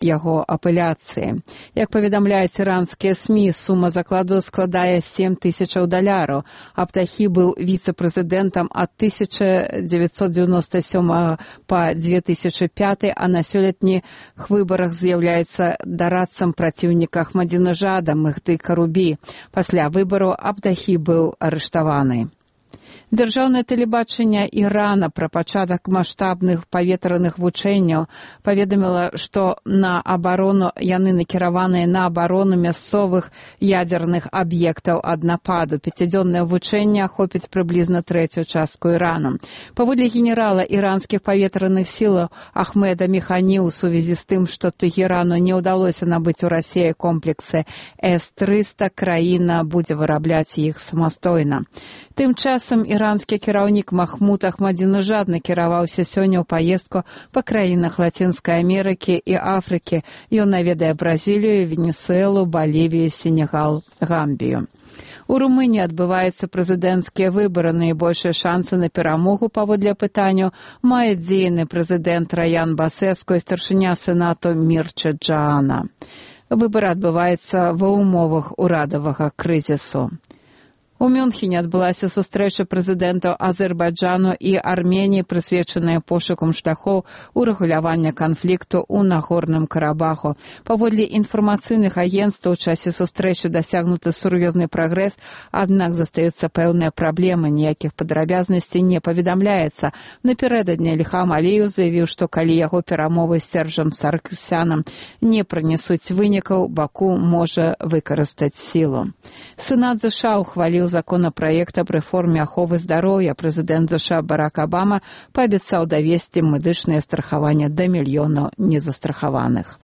яго апеляцыі. Як паведамляюць іранскія СМІ, сума закладу складае $7,000. Абтахі быў віцэ-прэзідэнтам ад 1997 па 2005, а на сёлетніх выбарах з'яўляецца дарадцам праціўніка Ахмадзінежада Мехді Карубі. Пасля выбару Абтахі быў арыштаваны. Дзяржаўнае тэлебачанне Ірана пра пачатак маштабных паветраных вучэнняў паведаміла, што яны накіраваныя на абарону мясцовых ядзерных аб'ектаў ад нападу. Пяцідзённае вучэнне ахопіць прыблізна трэцюю частку Ірану. Паводле генерала іранскіх паветраных сілаў Ахмеда Механі, у сувязі з тым, што Тэхерану не ўдалося набыць у Расіі комплексы С-300, краіна будзе вырабляць іх самастойна. Тым часам іранскі кіраўнік Махмуд Ахмадзінежад накіраваўся сёння ў паездку па краінах Лацінскай Амерыкі і Афрыкі. Ён наведае Бразілію, Венесуэлу, Балівію, Сенегал, Гамбію. У Румыніі адбываюцца прэзідэнцкія выбары. Найбольшыя шансы на перамогу паводле апытанняў мае дзейны прэзідэнт Раян Басэску і старшыня сенату Мірча Джаана. Выбары адбываюцца ва ўмовах урадавага крызісу. У Мюнхене адбылася сустрэча прэзідэнтаў Азербайджану і Арменіі, прысвечаная пошукам шляхоў урэгулявання канфлікту ў Нагорным Карабаху. Паводле інфармацыйных агенцтваў, у часе сустрэчы дасягнуты сур'ёзны прагрэс, аднак застаюцца пэўныя праблемы, ніякіх падрабязнасцей не паведамляецца. Напярэдадні Ільхам Аліеў заявіў, што калі яго перамовы з Сержам Сарксянам не прынесуць вынікаў, Баку можа выкарыстаць сілу. Сенат ЗША ухваліў законапраект аб рэформе аховы здароўя. Прэзідэнт ЗША Барак Абама паабяцаў давесці медычнае страхаванне да мільёнаў незастрахаваных.